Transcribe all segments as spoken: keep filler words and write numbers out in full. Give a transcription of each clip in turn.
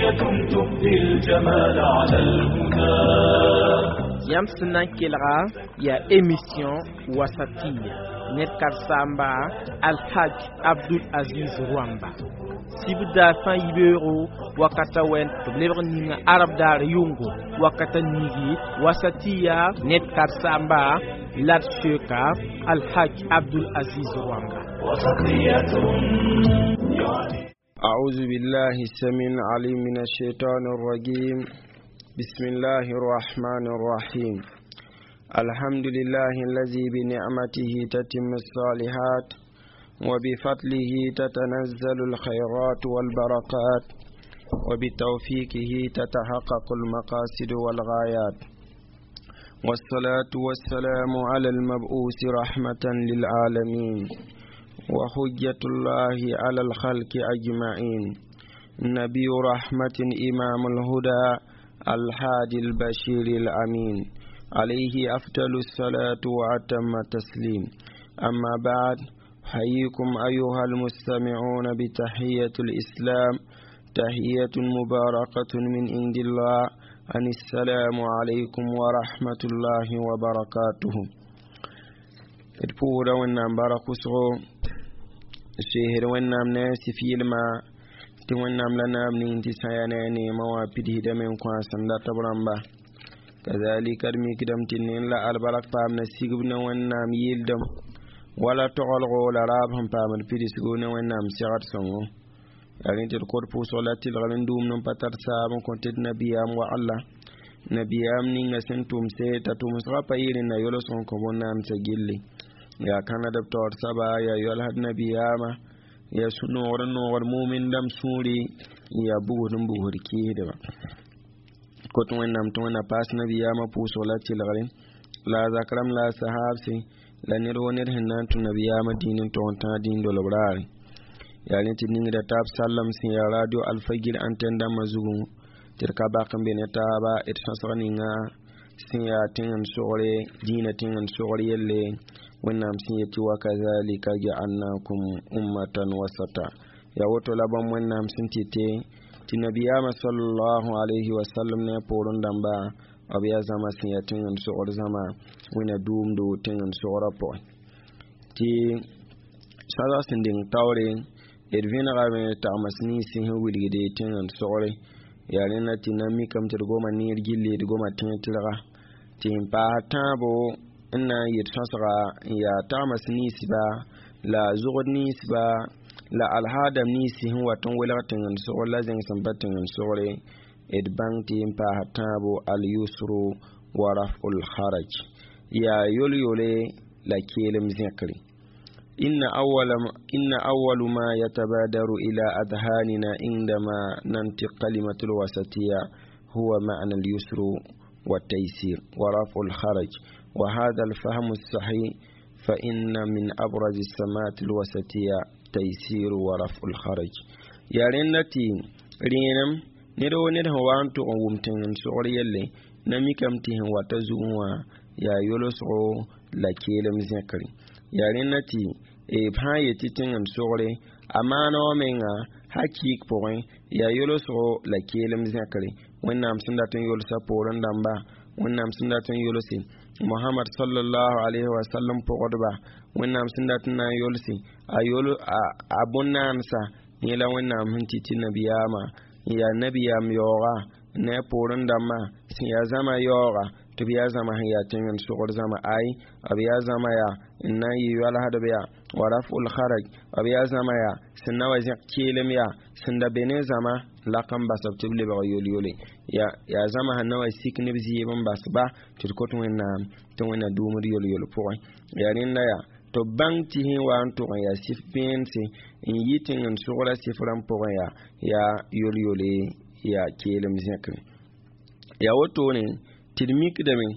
وسطية تبدي الجمال على الهدى. Yãmb sẽn na n kelga yaa émission Wasatiya ned karen-saamba Alhaj Abdul Aziz Rwamba sibda sã n yi beoogo wakata wɛn tɩ b lebg ninga arab daar yʋngo wakata nigi Wasatiya ned karen-saamba la d soka Alhaj Abdul Aziz Rwamba. وسطية. أعوذ بالله السميع العليم من الشيطان الرجيم. بسم الله الرحمن الرحيم. الحمد لله الذي بنعمته تتم الصالحات، وبفضله تتنزل الخيرات والبركات، وبتوفيقه تتحقق المقاصد والغايات، والصلاة والسلام على المبعوث رحمة للعالمين وحجة الله على الخلق أجمعين، نبي رحمة، إمام الهدى، الهادي البشير الأمين، عليه أفضل الصلاة وأتم التسليم. أما بعد، أحييكم أيها المستمعون بتحية الإسلام، تحية مباركة من عند الله، أن السلام عليكم ورحمة الله وبركاته. D pʋʋsda Wẽnnaam bark wʋsgo, seesd Wẽnnaam ne a sif yɩlma tɩ Wẽnnaam la naam ning tɩ sã yaa ne a neemã wã pidsdame n kõ a sẽn dat b rãmba. Kazalika d mikdame tɩ nend la albark paam na sigb ne Wẽnnaam yɩldem wala togelgo la raab sẽn paamd pidsgo ne Wẽnnaam segd sõngo. Yaa rẽ tɩ d kod pʋʋsg la tɩlgr n dũumd n pa tar saab n kõ tɩ d nabiyaam wagla, nabiyaam ninga sẽn tʋmse t'a tʋmsgã pa yɩ rẽnna yolsg n kõ bõn-naamsã gilli. Yaa kãnad b taoor saba, yaa yɔlsd nabiyaamã, yaa sũ-noogr n noogd mumin dãmb sũuri, yaa bugsd n bugsd kɩɩsdba. Kot Wẽnnaam tɩ Wẽnna paas nabiyaamã pʋʋsg la tɩlgre, la a zak rãmb, la a sahaabse, la ned wo ned sẽn na n tũ nabiyaamã dĩin n tog n tãag dĩin dolb raare. Yaa rẽ tɩ ningda taab sallem sẽn yaa radio Alfagir antenne dãmbã zugu tɩ d ka bak n be ne taaba d sõsg ninga sẽn yaa tẽng n sogre dĩinã, tẽng n sogr yelle. Wẽnnaam sẽn yetɩ: "Wakazalika jaalnakum ummatan wasata", yaa woto la bãmb Wẽnnaam sẽn tɩ tɩ nabiyaamã sallallahu alayhi wa sallam ne a poorẽ dãmba b yaa zãma sẽn yaa tẽng n sogr zãma wẽna dʋʋmdo tẽng n sogrã pʋgẽ. Tɩ sõsg sẽn deng taoore d vẽnegame tagms nins sẽn wilgde tẽng n sogre. Yaa rẽnda tɩ na mikame tɩ d goma neer gilli, d goma tẽeg tɩrga tɩ n paas tãabo n na n yet sõsga n yaa tagms ninsba la zʋgd ninsba la alhaadam ninsi sẽn wat n welg tẽng n sogr la zẽng sẽn pa tẽng n sogre. D bãng tɩ n paas tãabo al-yusru wa raf'ul haraj, yaa yol-yole la keelem zẽkre. إن أول, إن أول ما يتبادر إلى أذهاننا عندما ننطق كلمة الوسطية هو معنى اليسر والتيسير ورفع الحرج، وهذا الفهم الصحيح، فإن من أبرز السمات الوسطية تيسير ورفع الحرج. Yaa rẽnda tɩ rẽenem ned wo ned sẽn wa n tʋg n wʋm tẽng n sogr yelle na mikame tɩ sẽn wata zugẽ wã yaa yolsgo la keelem zẽkre. Yaa rẽnda tɩ b sã n yet tɩ tẽng n sogre a maana wã menga hakɩɩk pʋgẽ yaa yolsgo la keelem zẽkre. Wẽnnaam sẽn dat n yolsa poorẽ dãmba, Wẽnnaam sẽn dat n yolse Mohamad sallallahu alayhi wa sallam pʋgdba, Wẽnnaam sẽn dat n na n yolse a yol a bõn-naansa yẽ la Wẽnnaam sẽn tɩ tɩ nabiyaamã n yaa nabiyaam yaooga ne a poorẽ dãmbã sẽn yaa zãma yaooga tɩ b yaa zãma sẽn yaa tẽng n sogr zãma ay, b yaa zãma yaa n na n yɩ yoalsdb yaa wa raf'ul haraj, b yaa zãma yaa sẽn na wa zẽk keelem yaa sẽn da be ne zãma lak n bas b tɩ b lebg yol-yole, yaa zãma sẽn na wa sik ne b zɩɩb n bas ba tɩ d kot Wẽnnaam tɩ Wẽnna dũumd yol-yol pʋgẽ. Yaa rẽnda yaa tɩ b bãng tɩ sẽn wa n tʋg n yaa sɩf vẽense n yɩ tẽng n sogra sɩf rãmb pʋgẽ yaa yaa yol-yole yaa keelem zẽkre. Yaa wotone tɩ d mikdame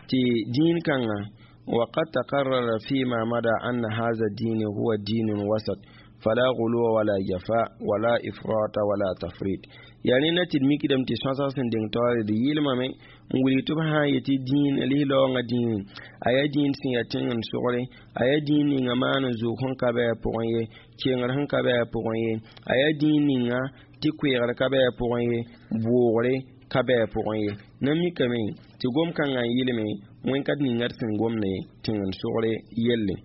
tɩ dĩin kãngã وقد تقرر فيما مضى أن هذا الدين هو دين وسط. فلا غلو ولا جفاء ولا إفراط ولا تفريط. Yaa rẽnda tɩ d mikdame tɩ sõsg sẽn deng taoore d yɩlmame n wilg tɩ b sã n yetɩ dĩin lislaoongã dĩinẽ a yaa dĩin sẽn yaa tẽng n sogre a yaa dĩin ninga maan n zoog sẽn ka bɩ a pʋgẽ ye kengr sẽn ka bɩ a pʋgẽ ye a yaa dĩin ninga tɩ koeegr ka bɩ a pʋgẽ ye boogre ka bɩ a pʋgẽ ye na mikame tɩ gom-kãngã n yɩlme wẽn-kat ninga d sẽn gomde tẽng n sogre yelle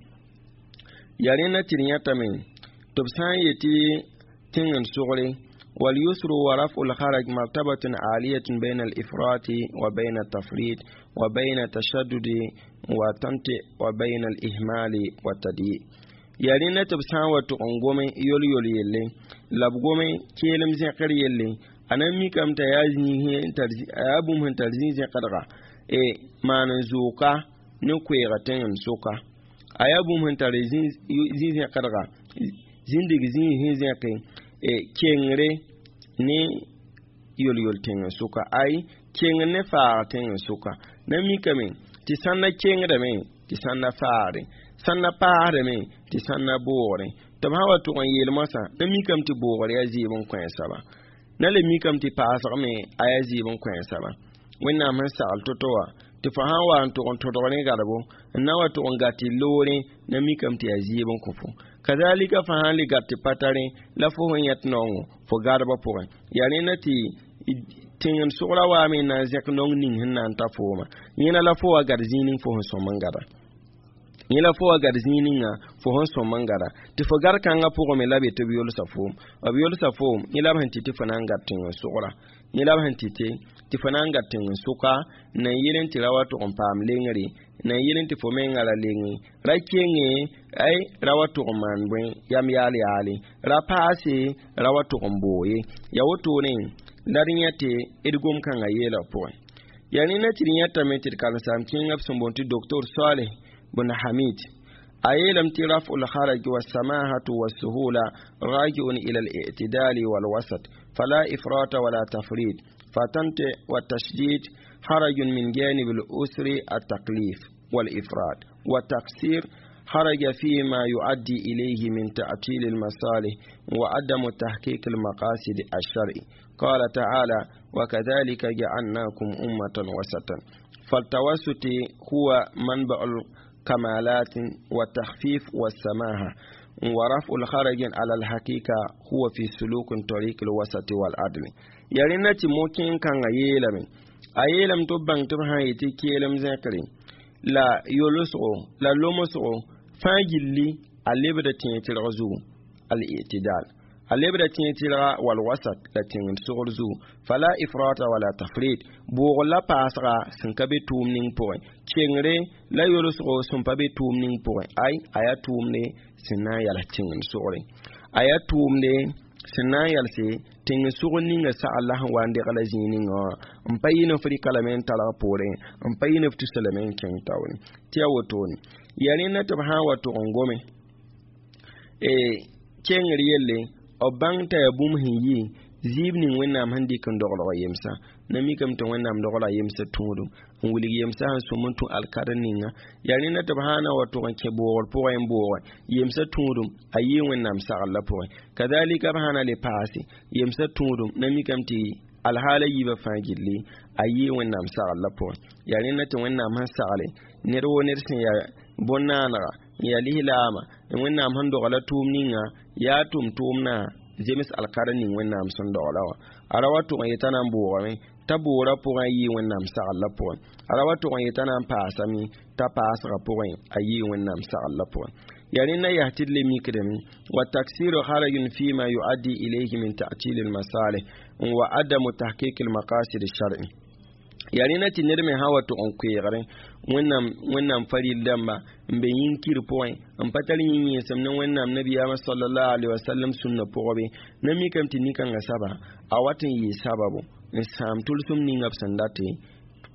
yaa rẽnda tɩ d yãtame tɩ b sã n yetɩ tẽng n sogre واليسر ورفع الحرج مرتبة عالية بين الإفراط وبين التفريط وبين التشدد وتنطع وبين الإهمال والتضييع. Yaa rẽnda tɩ b sã n wa tʋg n gome yol-yol yelle la b gome keelem zẽkr yelle a na n mikame t'a yaa yaa bũmb sẽn tar zĩ-zẽkdga e maan n zooka ne koeega tẽng n soka a yaa bũmb sẽn tar zĩ-zẽkdga zĩndig zĩig sẽn zẽke e kengre ne yol-yol tẽng n soka ay kengr ne faag tẽng n soka na mikame tɩ sãn na kengdame tɩ sãn na faagre sãn na paasdame tɩ sãn na boogre tɩ b sã wa tʋg n yeel moasã na mikame tɩ boogr yaa zɩɩb n kõ a soaba na le mikame tɩ paasg me a yaa zɩɩb n kõ a soaba wẽnnaam sẽn sagl to-to wã tɩ fo sã n wa n tʋg n tõdg rẽ gadbo n na wa tʋg n gat tɩ loore na mikame tɩ yaa zɩɩb n kõ fo kazalika fo sã n le gat tɩ pa tare la fo sẽn yãt naoongo fo gadbã pʋgẽ yaa rẽnda tɩ tẽng n sogra waame n na n zẽk naong ning sẽn na n ta fooma yẽna la fo wa gad zĩig ning fo sẽn sõm n gada yẽ la fo wa gad zĩig ninga fo sẽn sõm n gada tɩ fo gad kãngã pʋgẽ me la be tɩ b yolsa foom b yolsa foom yẽ la b sẽn tɩ tɩ fo na n gad tẽng n sogra yẽ la b sẽn tɩ tɩ tɩ fo na n gad tẽng n soka n na n yel n tɩ ra wa tʋg n paam lengre n na n yel n tɩ fo menga ra lenge ra kenge ay ra wa tʋg n maan bõe yam yaal yaale ra paase ra wa tʋg n boo ye ya wotone la d yã tɩ d gom-kãngã yeelg pʋgẽ yaa rẽnda tɩ d yãtame tɩ d karen-saam kẽngã b sẽn boond tɩ doctor Saleh بن حميد أيلم رفع الحرج والسماحة والسهولة راجع إلى الاعتدال والوسط فلا إفراط ولا تفريط فتنطع والتشديد حرج من جانب الأسر التكليف والإفراط والتقصير حرج فيما يؤدي إليه من تعطيل المصالح وعدم تحقيق المقاصد الشرعي. قال تعالى وكذلك جعلناكم أمة وسطا. فالتوسط هو منبع الكمالات والتخفيف والسماحة ورفع الخرج على الحقيقة هو في سلوك طريق الوسط والعدل. يرينا تموكين كان يلم أيلم تبان تبهان يتكيلم ذكري لا يولسو لا لومسو فاجلي اللبدة تنترغزو الاعتدال اللبدة تنترغ والوسط لا تنترغزو فلا إفراط ولا تفريط بوغ لا باسغا سنكبي توم نين بوين كينغري لا يولسو سنبابي توم نين بوين أي آيا توم ني سنا يالا تنترغزو آيا توم ني sẽn na n yalse tẽng sʋg ninga sagl la sẽn wa n degla zĩig ninga wã n pa yɩ ne f rɩka lame n talg poorẽ n pa yɩ ne f tusa lame n kẽng taoore tɩ yaa wotone yaa rẽnda tɩ b sã n wa tʋg n gome kengr yelle b bãng t'a yaa bũmb sẽn yɩ zɩɩb ning wẽnnaam sẽn dɩk n doglg yemsa na mikame tɩ wẽnnaam dogla yemsa tũudum n wilg yemsa sẽn sõm n tũ alkadr ninga yaa rẽnda tɩ b sã na wa tʋg n kẽ boogr pʋgẽ n booge yemsa tũudum a yɩ wẽnnaam sagl pʋgẽ kazalika b sã na le paase yemsa tũudum na mikame tɩ alhaala yiibã fãa gilli a yɩ wẽnnaam sagl la pʋgẽ yaa rẽnda tɩ wẽnnaam sẽn sagle ned woo ned sẽn yaa bõn-naanega n yaa lislaama wẽnnaam sẽn dogla tʋʋm ninga yaa tʋm-tʋʋmdã zems alkadr ning wẽnnaam sẽn dogla wã a ra wa tʋg n yetã na n boogame t'a boorã pʋgẽ a yɩ wẽnnaam sagl la pʋgẽ a ra wa tʋg n yetã na n paasame t'a paasgã pʋgẽ a yɩ wẽnnaam sagl la pʋgẽ yaa rẽnda yaa tɩ d le mikdame wa taksiru harajun fima yuaddi ilayhi min ta'til almasalih wa adamu tahqiq almaqasid alshar'i yaa rẽnda tɩ ned me sã wa tʋg n koeegre wẽnnaam wẽnnaam faril dãmba n be yĩn-kir pʋgẽ n pa tar yĩn-yẽesem ne wẽnnaam nabiyaamã sallallahu alaihi wasallam sũnna pʋgẽ be na mikame tɩ nin-kãngã saba a wat n yɩɩ sababo n sãam tʋlsem ninga b sẽn dat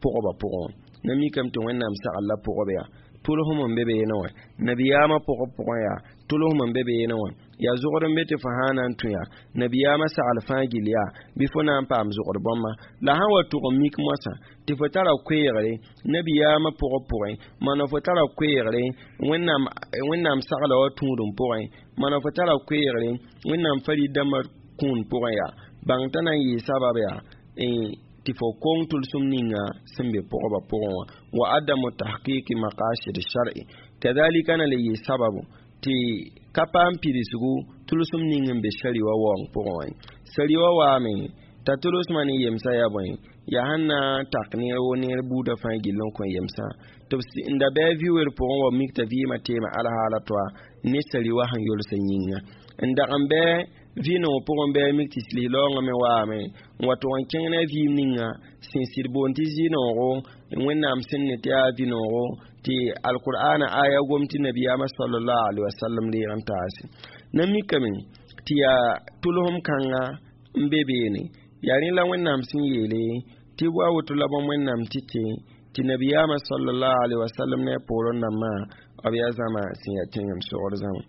pʋgba pʋgẽ na mikame tɩ wẽnnaam sagl la pʋgb yaa tʋlsem n be beene wã nabiyaamã pʋgb pʋgẽ yaa tʋlsem n be beene wã yaa zogd n be tɩ fo sã na n tũ yaa nabiyaamã sagl fãa gill yaa bɩ fo na n paam zogd bãmba la sã wa tʋg n mik moasã tɩ fo tara koeegre nabiyaamã pʋgb pʋgẽ mana fo tara koeegre wẽnnaam wẽnnaam sagla wã tũudem pʋgẽ mana fo tara koeegre wẽnnaam farid dãmbã kũun pʋgẽ yaa bãng t'a na n yɩɩ sabab yaa tɩ fo kong tʋlsem ninga sẽn be pʋgba pʋgẽ wã wa adamu tahqiqi maqasid shar'i kadhalika na le yɩ sababu tɩ ka paam pidsgu tʋlsem ning n be sari wa waoong pʋgẽ wã sari wa waame t'a tʋlsmã ne yemsã yaa bõe yaa sẽn na n tak neer wo neer buudã fãa gill n kõ yemsã tɩ b n da bɩ a vi-wer pʋgẽ wa mik t'a vɩɩmã teema alhaala toa ne sari wa sẽn yolsã yĩnga n dag n bɩ vɩ-noog pʋgẽ bɩ a mik tɩ lis-laoongã me waame n wa tʋg n kẽng ne a vɩɩm ninga sẽn sɩd boond tɩ zɩ-noogo wẽnnaam sẽn ne tɩ yaa vɩ-noogo tɩ alqur'ana aya gom tɩ nabiyaamã sallallahu alaihi wasallam reeg n taase na mikame tɩ yaa tʋlsem kãnga n be beene yaa rẽ la wẽnnaam sẽn yeele tɩ wa woto la bõmb wẽnnaam tɩ tɩ tɩ nabiyaamã sallallahu alaihi wasallam ne a poorẽ dãmbã b yaa zãma sẽn yaa tẽng n sogd zãma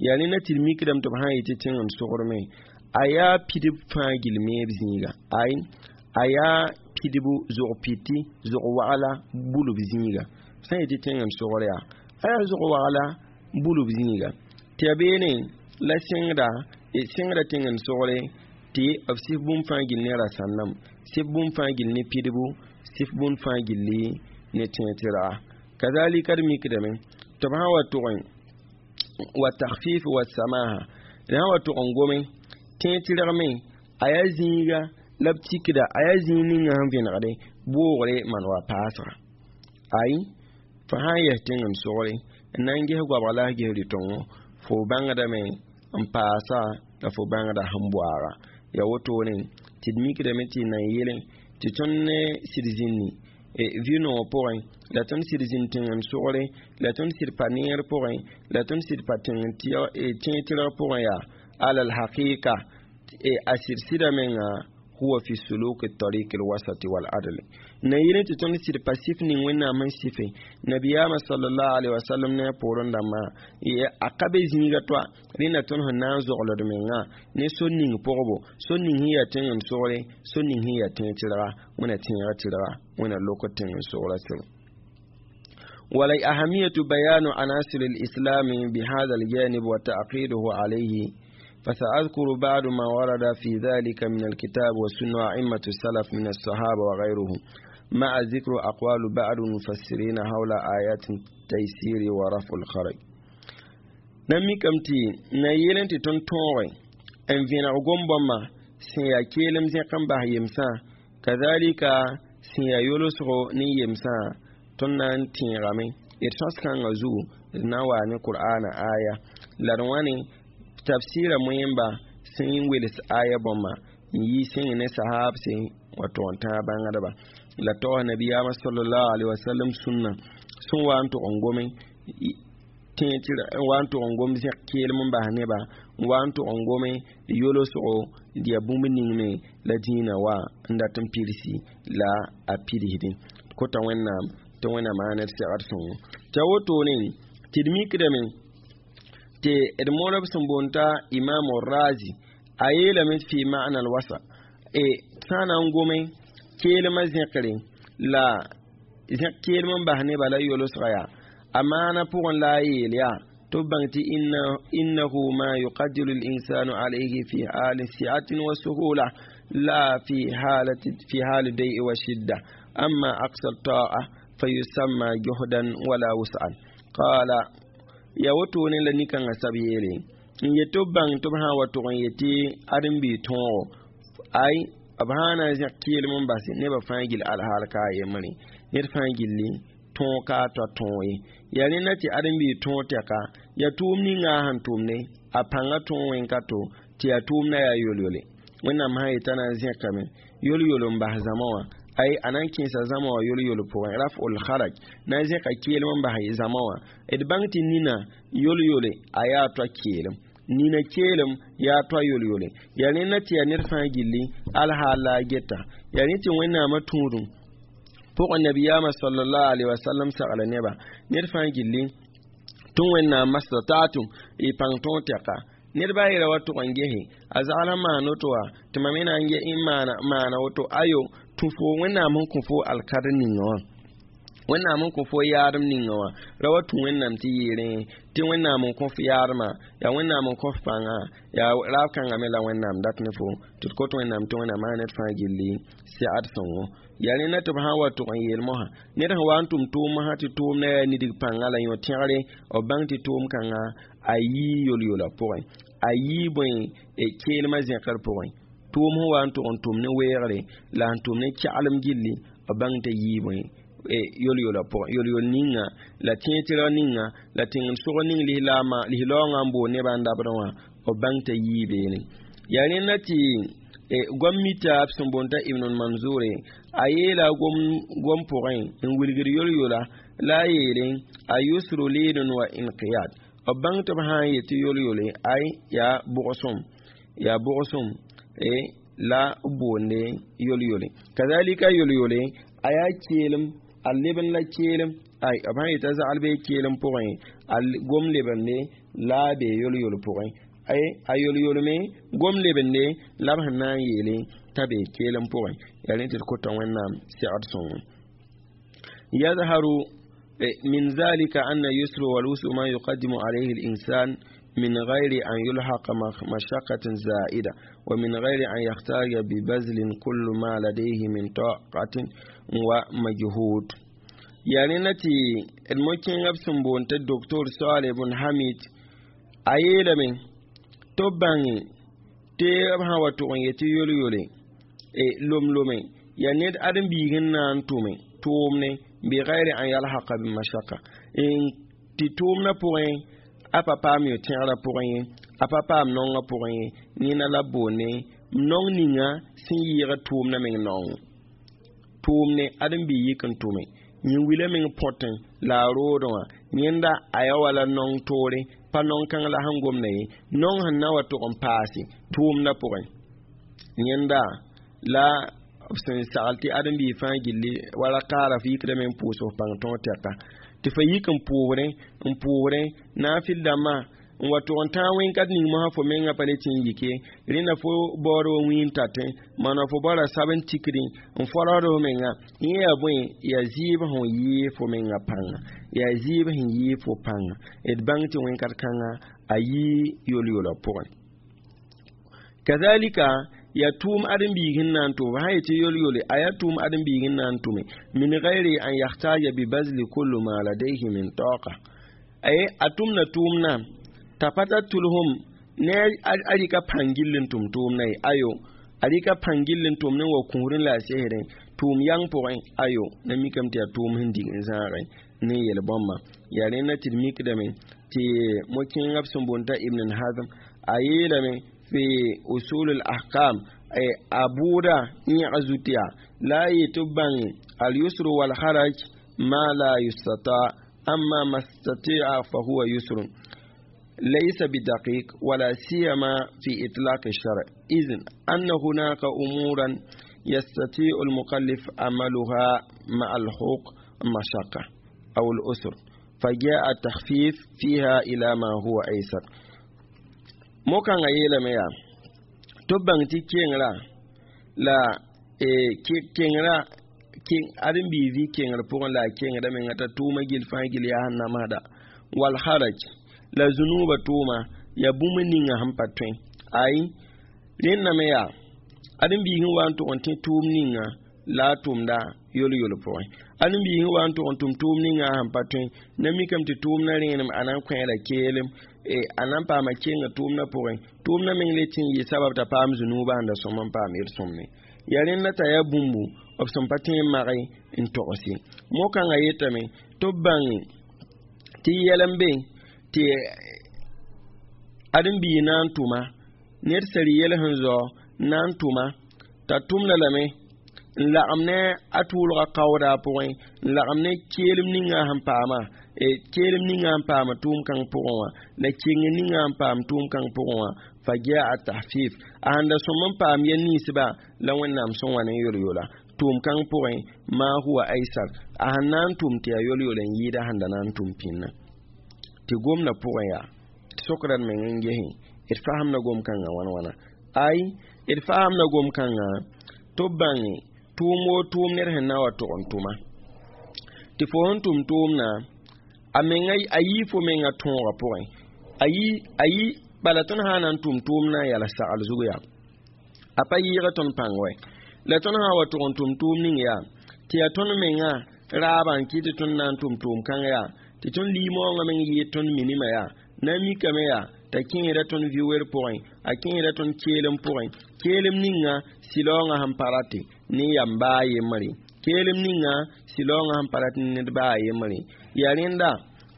yaa rẽ na tɩ d mikdame tɩ b sã n yetɩ tẽng n sogdme a yaa pidb fãa gill meeb zĩiga ay a yaa pidbu zog piti zog wagla bulb zĩiga sã n yetɩ tẽng n sogr yaa a yaa zog wagla bulb zĩiga tɩ ya beene la sẽngda sẽngda tẽng n sogre tɩ b sɩf bũmb fãa gill ne rasãndame sɩf bũmb fãa gill ne pidbu sɩf bũmb fãa gilli ne tẽeg-tɩrga kazalika d mikdame tɩ b sã wa tʋgẽ wa takhfif wa samaha d sã wa tʋg n gome tẽeg-tɩrg me a yaa zĩiga la b tikda a yaa zĩig ninga sẽn vẽnegde boogre maan wa paasga ay fo sã n yɛs tẽng n sogre n na n ges goabg la s ges rɩ-tõngo fo bãngdame n paasa la fo bãngda sẽn boaaga ya wotone tɩ d mikdame tɩ na n yele tɩ tõnd ne sɩd zĩnni vɩ-noog pʋgẽ la tõnd sɩd zĩnd tẽng n sogre la tõnd sɩd pa neer pʋgẽ la tõnd sɩd pa tẽng tẽeg-tɩrg pʋgẽ yaa ala alhaqiqa a sɩd sɩda menga huwa fi suluk tariq alwasat wal adl na yele tɩ tõnd sɩd pa sɩf ning wẽnnaam sẽn sɩfe nabiyaamã sallallahu alaihi wasallam ne a poorẽ dãmbã a ka be zĩiga toa rẽnda tõnd sẽn na n zogld menga ne sor ning pʋgbo sor ning sẽn yaa tẽng n sogre sor ning sẽn yaa tẽeg tɩrga wẽna tẽega tɩrga wẽna lok tẽng n sogra sɩr ولأهمية بيان عناصر الإسلام بهذا الجانب وتعقيده عليه فسأذكر بعض ما ورد في ذلك من الكتاب والسنة وأئمة السلف من الصحابة وغيرهم مع ذكر أقوال بعض المفسرين حول آيات التيسير ورفع الحرج na mikame tɩ na yeel tɩ tõnd tõoge n vẽneg gom-bãmbã sẽn yaa keelem zẽk n bas yemsã kazalika sẽn yaa yolsgo ne yemsã tõnd na n tẽegame d sõs-kãngã zugu d na n waa ne qur'ana aya la d wãne tafsira moẽmba sẽn wels aya bãmba n yi sẽng ne sahabse wa tʋg n tãag bãngdba la taoos nabiyaamã sallallahu alaihi wasallam sũnna sẽn wa n tʋg n gome wa n tʋg n gom zẽk keelem n bas neba n wa n tʋg n gome yolsgo d yaa bũmb ning me la dĩinã wa n dat n pidsi la a pidsdẽ kota wẽnnaam tɩ wẽnnaam maan d segd sõngo tɩ a wotone tɩ d mikdame tɩ d modb sẽn boond t'a imam razi a yeelame fi ma'na alwasa e sã na n gome keelmã zẽkre la zẽk keelm n bas neba la yolsga yaa a maana pʋgẽ la a yeel yaa tɩ b bãng tɩ innahu ma yuqadiru linsanu alayhi fi hali si'atin wa suhula la fi halati fi hali dai'i wa shidda amma aqsa ta'a fayusamma juhdan wala wus'an qala ya wotone la nikãngã sab yeele n yet tɩ b bãng tɩ b sã n wa tʋg n yetɩ ãdem-biig tõogo ay b sã n na n zẽk keelem n base nebã fãa gill alhaal ka a yembre ned fãa gilli tõog ka a toa tõog ye yaa rẽnda tɩ ãdem-biig tõog tɛka yaa tʋʋm ninga a sẽn tʋmne a pãnga tõog wẽn ka to tɩ yaa tʋʋmdã yaa yol-yole wẽnnaam sã yetã na n zẽkame yol-yol n bas zãma wã ay a na n kẽesa zãma wã yol-yol pʋgẽ raf'ul haraj na n zẽka keelem n bas zãma wã d bãng tɩ nina yol-yole a yaa toa keelem nina keelem yaa toa yol-yole yaa rẽnda tɩ yaa ned fãa gilli alhaal la a geta yaa rẽ tɩ wẽnnaamã tũudum Pʋgẽ nabiyaamã sallallahu alaihi wasallam sagla neba ned fãa gilli tɩ Wẽnnaam mastata'tum y pãng tõog tɛka. Ned baa yeela wa tʋg n gese a zagl n maan woto wã tɩ mam me na n maana maana woto. Ayo, tũ fo Wẽnnaam sẽn kõ fo alkadr ninga wã, Wẽnnaam n kõ fo yaadem ninga wã, ra wa tũ Wẽnnaam tɩ yeerẽ tɩ Wẽnnaam n kõ f yaadmã, yaa Wẽnnaam n kõ f pãnga, yaa raab kãngã me la Wẽnnaam dat ne fo tɩ d kot Wẽnnaam tɩ Wẽnnaam maa ned fãa gilli sɛgd sõngo. Yaa rẽnda tɩ b sã n wa tʋg n yeel mosã ned sẽn wa n tʋm tʋʋm mosã tɩ tʋʋmdã yaa nidg pãnga la yõ tẽgre, b bãng tɩ tʋʋm kãngã a yii yol-yola pʋgẽ, a yii bõe keelmã zẽkr pʋgẽ. Tʋʋm sẽn wa n tʋg n tʋm ne weoogre la sẽn tʋm ne kɛglem gilli, b bãng t'a yii bõe yol-yola pʋgẽ, yol-yol ninga la tẽetɩrg ninga la tẽng-sog ning lislaoongã n boond nebã n dabdẽ wã, b bãng t'a yii beene. Yaa rẽnda tɩ gom mita b sẽn boond t'a Ibn Manzure a yeela gom gom pʋgẽ n wilgd yol-yola la a yeele a yusru liidun wa inqiyad. B bãng tɩ b sã n yet tɩ yol-yole ay yaa bʋgsem, yaa bʋgsem la b boonde yol-yole. Kazalika yol-yole a yaa keelem, a leb n la keelem, ay b sã n yeta zagl bee keelem pʋgẽ a gom lebende la a bee yol-yol pʋgẽ, ay a yol-yolme gom lebende la b sẽn na n yeele t'a bee keelem pʋgẽ. Yaa rẽ tɩ d kota Wẽnnaam sɛgd sõngo. Yazharu من ذلك أن يسر والوسع ما يقدم عليه الإنسان من غير أن يلحق مشقة زائدة، ومن غير أن يحتاج ببذل كل ما لديه من طاقة ومجهود. يعني نتي الممكن أبسم بونت الدكتور صالح بن حميد أيلا من تباني تي أبها وتوغن يتي يولي يولي لوم لومي يعني أدم بيغن نان تومي تومني بغير أن يلحق بمشقة إن تتومنا پوغن a pa paam yo-tẽgrã pʋgẽ ye, a pa paam naongã pʋgẽ ye, nina la boonde naong ninga sẽn yɩɩg tʋʋmdã meng naong tʋʋmne ãdem-biig yik n tʋme yẽ wila meng põtẽ la a roodẽ wã yẽnda a yaa wala naong toore, pa naong kãng la sẽn gomda ye, naong sẽn na wa tʋg n paase tʋʋmdã pʋgẽ. Yẽnda la b sẽn sagl tɩ ãdem-biig fãa gilli wala kaara f yikdame n pʋʋs f pãng tõog tɛka tɩ fa yik n pʋʋsdẽ n pʋʋsdẽ naafɩl dãmbã n wa tʋg n tãag wẽn-kat ning mosã fo mengã pa le tɩ n yike rẽnda fo baood wa wĩin tatẽ maana fo baoora sab n tikdẽ n fɔlsd f menga. Yẽ yaa bõe? Yaa zɩɩb sẽn yɩɩ fo menga pãnga, yaa zɩɩb sẽn yɩɩ fo pãnga. D bãng tɩ wẽn-kat kãnga a yii yol-yola pʋgẽ. Kazalika ya tʋʋm ãdem-biig sẽn na n tʋm sã yetɩ yol-yole a yaa tʋʋm ãdem-biig sẽn na n tʋme min gayri an yahtaja bibazli kullu ma ladayhi min taqa ay a tʋmda tʋʋmdã t'a pa tar tʋlsem ne a rɩka pãng gill n tʋm tʋʋmdã ye, ayo a rɩka pãng gill n tʋm ne wa kũusdẽ la a sesdẽ tʋʋm yang pʋgẽ, ayo na mikame tɩ yaa tʋʋm sẽn dig n zãagẽ ne yel bãmba. Yaa rẽnda tɩ d mikdame tɩ mo-kẽengã b sẽn boond t'a Ibn Hazm a yeelame fi usul al-ahkam a bʋʋda yẽg zut yaa la a yetɩ b bãnge al-yusru wal-haraj ma la yustata amma ma stati'a fa huwa yusrun ليس بدقيق ولا سيما في إطلاق الشرع، إذن أن هناك أمورا يستطيع المكلف عملها مع الحقوق مشقة أو الأسر، فجاء التخفيف فيها إلى ما هو أيسر. Mokãngã yeelame yaa tɩ b bãng tɩ kengrã la kengrã ãdem-biig vɩ kengr pʋgẽ la a kengda menga t'a tʋʋma gill fãa gill yaa sẽn namsda wal haraj la zũnuubã tʋʋma yaa bũmb ninga sẽn pa tõe ay rẽndame yaa ãdem-biig sẽn wa n tʋg n tẽ tʋʋm ninga la a tʋmda yol-yol pʋgẽ, ãdem-biig sẽn wa n tʋg n tʋm tʋʋm ninga sẽn pa tõe na mikame tɩ tʋʋmdã rẽenem a na n kõ la keelem a na n paama kenga tʋʋmdã pʋgẽ, tʋʋmdã meng le tɩ n yɩ sabab t'a paam zũnuubã sẽn da sõm n paam yel-sõmne. Yaa rẽnda t'a yaa bũmbu b sẽn pa tõe n mage n togs ye. Mo-kãngã yetame tɩ b bãnge tɩ yɛl n be tɩ ãdem-biig na n tʋma ned sẽn yɛl sẽn zao na n tʋma t'a tʋmda lame n lagem ne a tʋʋlga kaooda pʋgẽ n lagem ne keelem ninga sẽn paama keelem ninga n paama tʋʋm kãng pʋgẽ wã la keng ninga n paam tʋʋm kãng pʋgẽ wã fa jaa tahfif a sẽn da sõm n paam yɛl ninsba la Wẽnnaam sẽn wa ne yol-yola Tʋʋm kãng pʋgẽ ma huwa aysar a sẽn na n tʋm tɩ yaa yol-yol n yɩɩda sẽn da na n tʋm pĩnã tɩ gomdã pʋgẽ yaa d sokda d meng n gesẽ d fasemda gom-kãngã wãn wãna ay d fasemda gom-kãngã tɩ b bãnge tʋʋm woo tʋʋm ned sẽn na wa tʋg n tʋma tɩ fo sẽn tʋm tʋʋmdã a menga a yii fo menga tõogã pʋgẽ a yi a yi bala tõnd sã na n tʋm tʋʋmdã n yals sagl zug yaa a pa yɩɩga tõnd pãng wɛ la tõnd sã wa tʋg n tʋm tʋʋm ning yaa tɩ yaa tõnd menga raabã n kɩt tɩ tõnd na n tʋm tʋʋm kãng yaa tɩ tõnd liimoongã meng yɩɩd tõnd minimã yaa na n mikame yaa t'a kẽeda tõnd vi-wer pʋgẽ a kẽeda tõnd keelem pʋgẽ keelem ninga sɩlaoongã sẽn pa rate ne yam baa yembre keelem ninga sɩlaoongã sẽn pa rat ne ned baa yembre yaa rẽnda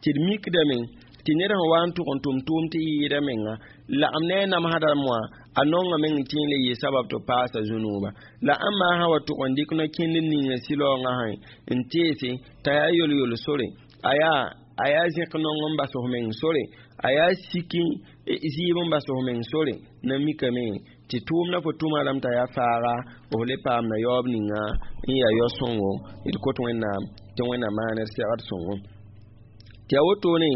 tɩ d mikdame tɩ ned sẽn wa n tʋg n tʋm tʋʋm tɩ yɩɩda menga lagem ne a namsda moã a nonga meng n tẽ n le yɩ sabab tɩ paasa zũnuuba la ãmba sã wa tʋg n dɩk no-kẽnd ninga sɩlaoongã sã n teese t'a yaa yol-yol sore a yaa a yaa zẽk nong n bas f meng sore a yaa siki zɩɩb n bas f meng sore na mikame tɩ tʋʋmdã fo tʋma rãmb t'a yaa faaga f le paamda yaoob ninga n yaa yao-sõngo d kot Wẽnnaam tɩ Wẽnnaam maan d segd sõngo tɩ yaa wotone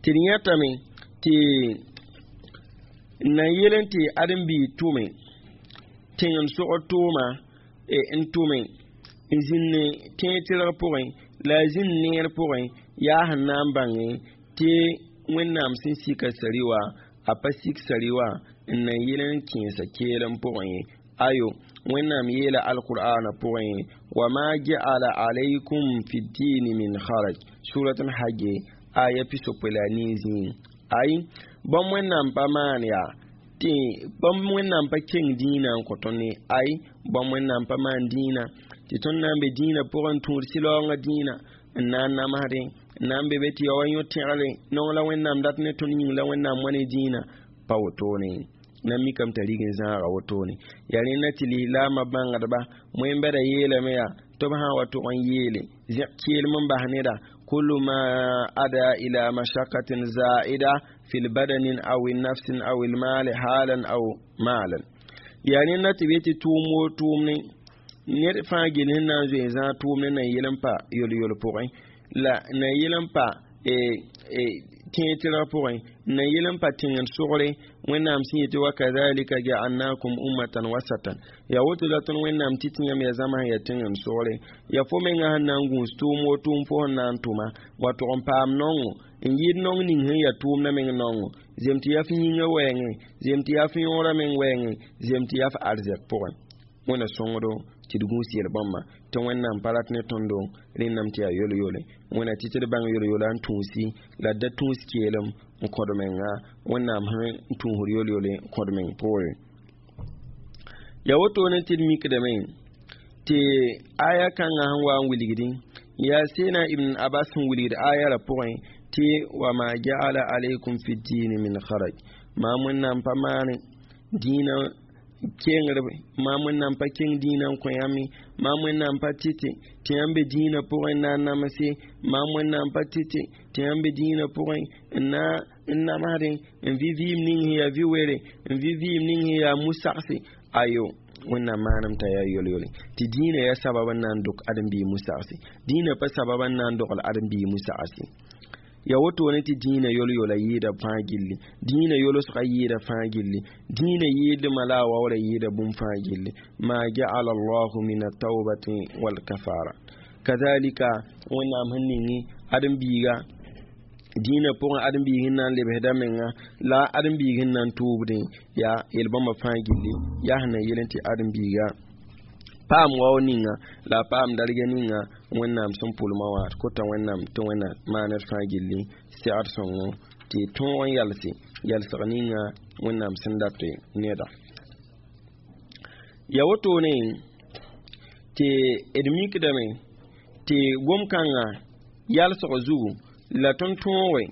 tɩ d yẽtame tɩ n na yel n tɩ ãdem-biig tʋme tẽng n sogd tʋʋma n tʋme n zĩnd tẽeg tɩrg pʋgẽ la a zĩnd neer pʋgẽ yaa sẽn na n bãnge tɩ Wẽnnaam sẽn sika sari wã a pa sik sari wã n na yel n kẽesa keelem pʋgẽ ye ayo Wẽnnaam yeela alqur'ana pʋgẽ wa ma ja'ala alaykum fi ddini min haraj surat al-hajj aya pisopoe la nii zĩig ay bãmb Wẽnnaam pa maan yaa tɩ bãmb Wẽnnaam pa keng dĩinã n kõ tõnd ye ay bãmb Wẽnnaam pa maan dĩinã tɩ tõnd na n be dĩinã pʋgẽ n tũud sɩlaoongã dĩinã n na n namsdẽ n na n be be tɩ ya wa yõ tẽgre nong la Wẽnnaam dat ne tõnd yĩng la Wẽnnaam wa ne dĩinã pa wotone na mikame t'a rig n zãaga wotone yaa rẽnda tɩ lislaamã bãngdba wẽn-bɛda yeelame yaa tɩ b sã n wa tʋg n yeele zẽk keelem n bas neda kullu ma ada ila mashakatin zaida fi lbadanin aw nafsin aw lmali halan aw malan yaa rẽnda tɩ b yetɩ tʋʋm woo tʋʋm ne ned fãa gel sẽn na n zoe n zãag tʋʋm ne na n yel n pa yol-yol pʋgẽ la na n yel n pa tẽeg tɩrg pʋgẽ na yel n pa tẽng n sogre Wẽnnaam sẽn yetɩ wa kadhalika ja'alnakum ummatan wasatan yaa woto la tõnd Wẽnnaam tɩ tɩ yãmb yaa zãma sẽn yaa tẽng n sogre yaa fo menga sẽn na n gũus tʋʋm woo tʋʋm fo sẽn na n tʋma wa tʋg n paam nongo n yɩɩd nong ning sẽn yaa tʋʋmdã meng nongo zem tɩ yaa f yĩngã wɛɛngẽ zem tɩ yaa f yõorã meng wɛɛngẽ zem tɩ yaa f arzɛk pʋgẽ Wẽnna sõngdo tɩ d gũus yel-bãmba tɩ Wẽnnaam pa rat ne tõndo rẽndame tɩ yaa yol-yole Wẽnna tɩ tɩ d bãng yol-yola n tũusi la d da tũus keelem n kõd menga Wẽnnaam sẽn tũusd yol-yole n kõd meng poore yaa wotone tɩ d mikdame tɩ aya kãngã sẽn wa n wilgdẽ yaa seena Ibn Abbas sẽn wilgd aya ra pʋgẽ tɩ wa ma ja'ala alaykum fi ddini min haraj maam Wẽnnaam pa maane dĩinã kengrb maam Wẽnnaam pa keng dĩinã n kõ yãmb maam Wẽnnaam pa tɩtɩ tɩ yãmb be dĩinã pʋgẽ n na n namse maam Wẽnnaam pa tɩtɩ tɩ yãmb be dĩinã pʋgẽ n na n namsdẽ n vɩ vɩɩm ning sẽn yaa vi-were n vɩ vɩɩm ning sẽn yaa mu-sagse ayo Wẽnnaam maanam t'a yaa yol-yole tɩ dĩinã yaa sabab n na n dok ãdem-biig mu-sagse dĩinã pa sabab n na n dogl ãdem-biig mu-sagse ya wotone tɩ dĩinã yol-yola yɩɩda fãa gilli dĩinã yolsga yɩɩda fãa gilli dĩinã yɩɩdmã la a waoora yɩɩda bũmb fãa gilli ma ja'ala allahu min ataubati walkafara kazalika Wẽnnaam sẽn ningi ãdem-biiga dĩinã pʋgẽ ãdem-biig sẽn na n lebsda menga la ãdem-biig sẽn na n tʋʋbdẽ yaa yel-bãmba fãa gilli yaa sẽn na yel n tɩ ãdem-biiga paam wao ninga la a paam darga ninga Wẽnnaam sẽn pʋlmã wã d kota Wẽnnaam tɩ Wẽnna maan d fãa gilli segd sõngo tɩ tõog n yalse yalsg ninga Wẽnnaam sẽn dat neda ya wotone tɩ d mikdame tɩ gom-kãngã yalsg zugu la tõnd tõoge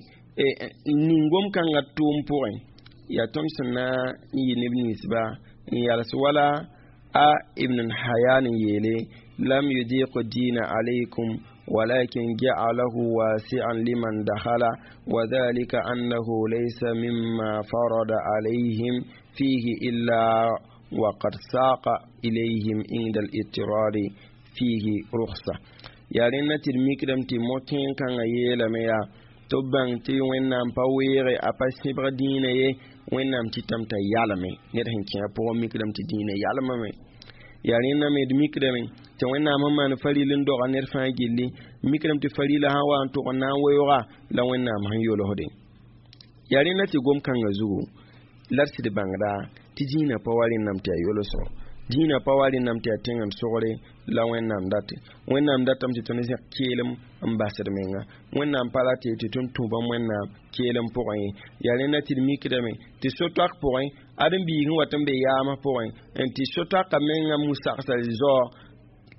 ning gom-kãngã tʋʋm pʋgẽ yaa tõnd sẽn na n yɩ neb ninsba n yals wala a Ibn Hayan yeele lam yudiq dina alaykum ولكن جعله واسعا لمن دخل وذلك أنه ليس مما فرض عليهم فيه إلا وقد ساق إليهم عند الاضطرار فيه رخصة. Yaa rẽnda tɩ d mikdame tɩ mo-kẽen kãngã yeelame yaa tɩ b bãng tɩ Wẽnnaam pa weege, a pa sẽbg dĩinã ye. Wẽnnaam tɩtame t'a yalme ned sẽn kẽ a pʋgẽ mikdame tɩ dĩinã yalmame. Yaa rẽnda me d mikdame tɩ Wẽnnaam sẽn maan faril n doga ned fãa gilli, mikdame tɩ farila sã wa n tʋg n na n weooga la Wẽnnaam sẽn yolsde. Yaa rẽnda tɩ gom-kãngã zugu la d sɩd bãngda tɩ dĩinã pa wa rẽnname tɩ yaa yolsgo, dĩinã pa wa rẽnname tɩ yaa tẽngd sogre la Wẽnnaam date. Wẽnnaam datame tɩ tõnd zẽk keelem n basd menga. Wẽnnaam pa rate tɩ tõnd tũ bãmb Wẽnnaam keelem pʋgẽ ye. Yaa rẽnda tɩ d mikdame tɩ so-toak pʋgẽ ãdem-biig sẽn wat n be yaamã pʋgẽ n tɩ so-toakã mengã mu-sagsã zaoog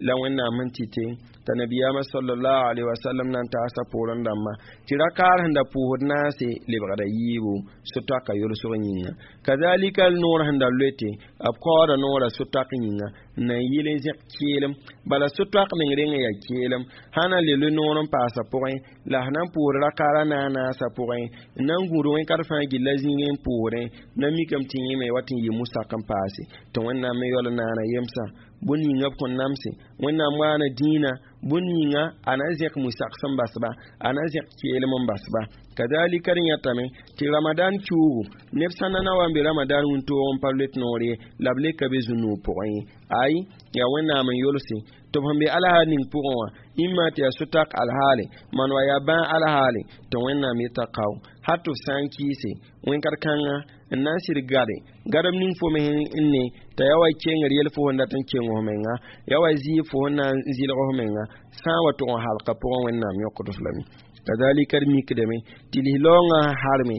la Wẽnnaam sẽn tɩte t'a nabiyaamã sallallahu alaihi wasallam na n taasa poorẽ dãmba tɩ rakaar sẽn da pʋʋsd naase lebgda yiibu so-toakã yolsg yĩnga. Kazalika noor sẽn da loete b kaooda noora so-toak yĩnga n na n yɩl n zẽk keelem. Bala so-toak meng reng n yaa keelem sã na le loe noor n paasa pʋgẽ la sẽn na n pʋʋsd rakaara naas naasã pʋgẽ n na n gũud wẽn-kat fãa gilla zĩigẽ n pʋʋsdẽ na mikame tɩ yẽme wat n yɩ mu-sak n paase tɩ Wẽnnaam me yaool n naana yemsã bõn yĩnga b kõn namse. Wẽnnaam waana dĩinã bõn yĩnga a na n zẽk mu-sak sẽn basba, a na n zẽk keelem n basba. Kazalika d yãtame tɩ Ramadan kiuugu neb sã na na wa n be Ramadan wĩntoog n pa loet noor ye la b le ka be zu-noog pʋgẽ ye. Ay, yaa Wẽnnaam n yolse tɩ b sẽn be alhaal ning pʋgẽ wã ĩmma tɩ yaa so-tak alhaale maan wa yaa bãag alhaale tɩ Wẽnnaam yeta kao hal tɩ f sã n kɩɩse wẽn-kat-kãngã n na n sɩd gade gadem ning fo me n ne t'a yaa wa kengr yel fo sẽn dat n keng f menga, yaa wa zɩɩb fo sẽn na n zɩlg f menga sã n wa tʋg n halka pʋgẽ Wẽnnaam yõkd f lame. Kazalika d mikdame tɩ lislaoongã harme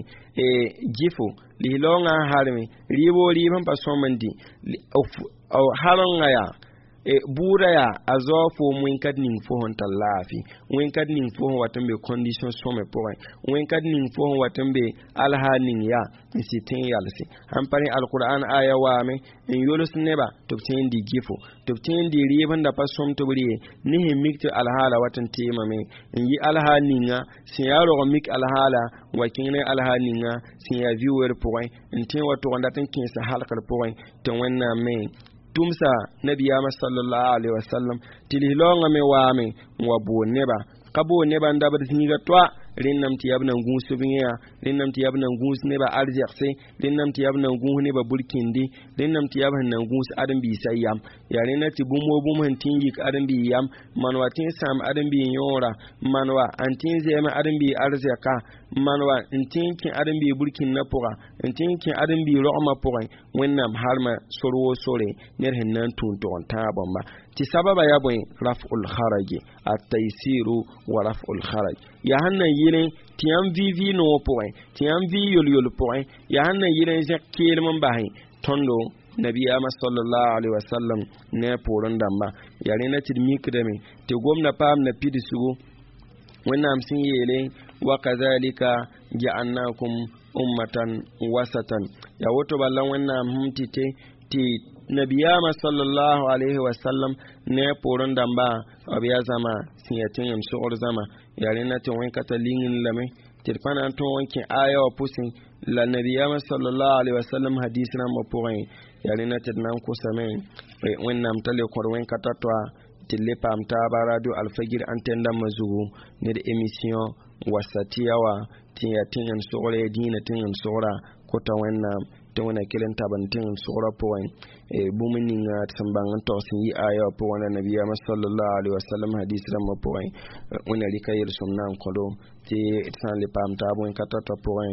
gɩfo, lislaoongã harme rɩɩbo, rɩɩb sẽn pa sõm n dĩ harenga yaa bʋʋda yaa a zao foom wẽn-kat ning fo sẽn tar laafɩ, wẽn-kat ning fo sẽn wat n be condition sõme pʋgẽ, wẽn-kat ning fo sẽn wat n be alhaal ning yaa n sɩd tẽ n yalse. Sãn pa rẽ alqur'an aya waame n yols neba tɩ b tẽ n dɩ gɩfo, tɩ b tẽ n dɩ rɩɩb sẽn da pa sõm tɩ b rɩ ne sẽn mik tɩ alhaala wat n teemame n yɩ alhaal ninga sẽn yaa rog n mik alhaala n wa kẽng ne alhaal ninga sẽn yaa vi-weer pʋgẽ n tẽ wa tʋg n dat n kẽesa halkr pʋgẽ tɩ Wẽnnaam me tʋmsa nabiyaamã sallallahu alaihi wasallam tɩ lislaoongã me waame n wa bool neba ka bool neba n dabd zĩiga toa rẽnname tɩ yaa b nan gũus b yẽa, rẽnname tɩ yaa b nan gũus neba arzɛgse, rẽnname tɩ yaa b nan gũus neba burkĩndi, rẽnname tɩ yaa b sẽn nan gũus ãdem-biisã yam. Yaa rẽnda tɩ bũmb wo bũmb sẽn tĩ n yik ãdem-biig yam maan wa tĩ n sãam ãdem-biig yõora, maan wa n tĩ n zɛɛm ãdem-biig arzɛka, maan wa n tĩ n kẽ ãdem-biig burkĩndã pʋga, n tĩ n kẽ ãdem-biig rogmã pʋgẽ. Wẽnnaam harma sor woo sore ned sẽn na n tũun tʋg n tãag bãmba tɩ sababa yaa bõe raf'ul kharaj at-taysiru wa raf'ul kharaj. Yaa sẽn na n yɩlẽ tɩ yãmb vɩ vɩ noog pʋgẽ, tɩ yãmb vɩ yol-yol pʋgẽ, yaa sẽn na n yɩlẽ zẽk keelem n basẽ tõndo nabiyaamã sallallahu alaihi wasallam ne a poorẽ dãmba. Yaa rẽnda tɩ d mikdame tɩ gomda paam na pidsgu Wẽnnaam sẽn yeele wa kazalika ja'alnakum ummatan wasatan. Yaa woto bala Wẽnnaam sẽm tɩ tɩ nabiyaamã sallallahu alaihi wasallam ne a poorẽ dãmba b yaa zãma sẽn yaa tẽngem sogr zãma. Yaa rẽnda tɩ wẽn-kata ling lame tɩ d pa na n tõog n kẽ aya wã pʋsẽ la nabiyaamã sallallahu alaihi wasallam hadis rãmbã pʋgẽ. Yaa rẽnda tɩ d na n kosame Wẽnnaam t'a le kõd wẽn-kata toa tɩ d le paam taaba radio Alfagir antenne dãmbã zugu ne d émission wasatiya wã tɩ yaa tẽngem sogre dĩinã tẽngem sogra kota Wẽnnaam tɩ Wẽnna kell n tab n tẽngem sogra pʋgẽ bũmb ninga tɩ sẽn bãng n tog sẽn yɩ aya wã pʋgẽ la nabiyaamã sallallahu alaihi wasallam hadis rãmbã pʋgẽ. Wẽnna rɩka yel-sõm na n kõdo tɩ d sã n le paam taab wẽn-kata toa pʋgẽ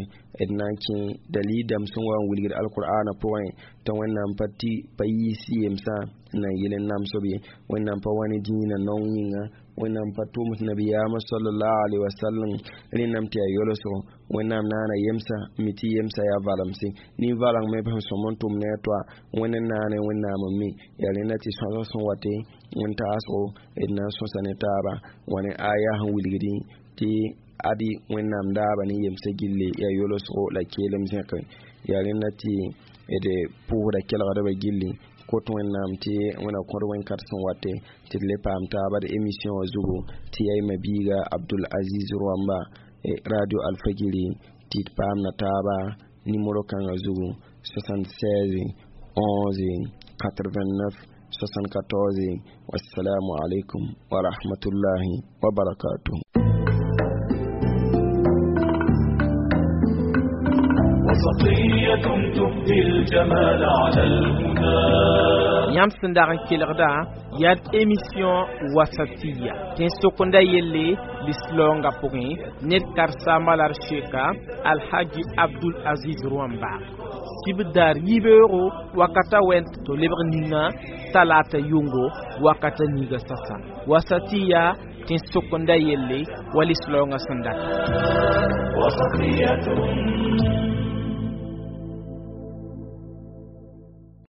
d na n kẽ dalil dãmb sẽn wa n wilgd alqur'ana pʋgẽ tɩ Wẽnnaam pa tɩ pa yiis yemsã n na n yɩl n namsb ye. Wẽnnaam pa wa ne dĩinã naong yĩnga, Wẽnnaam pa tʋms nabiyaamã sallallahu alaihi wasallam rẽnname tɩ yaa yolsgo. Wẽnnaam naana yemsã mi tɩ yemsã yaa valemse nin-valeng me sẽn sõm n tʋm ne a toa Wẽnd n naane Wẽnnaam n mi. Yaa rẽnda tɩ sõsg sẽn wate wẽn-taasgo d na n sõsa ne taaba wa ne aya sẽn wilgdẽ tɩ adi Wẽnnaam daaba ne yemsã gilli yaa yolsgo la keelem zẽke. Yaa rẽnda tɩ d pʋʋsda kelgdbã gilli kot Wẽnnaam tɩ Wẽnna kõd wẽn-kat sẽn wate tɩ d le paam taaba d émission wã zugu tɩ yaa y biiga Abdul Aziz Roamba radio Alfagiri tɩ d paamna taaba nimero kãngã zugu soixante-seize onze quatre-vingt-neuf soixante-quatorze. Wassalamu alaikum wa rahmatullahi wa barakatuh. وسطية تبدي الجمال على الهدى. Yãmb sẽn dag n kelgda yaa d émission Wasatiya tẽn-sokenda yelle lislaoongã pʋgẽ ned karsaambã la d seka Alhaji Abdul Aziz Rõamba sibdaar yibeoogo wakata wɛn tɩ lebg ninga talata yʋngo wakata ninga sasa Wasatiya tẽn-sokenda yelle wa lislaoongã sẽn data. وسطية.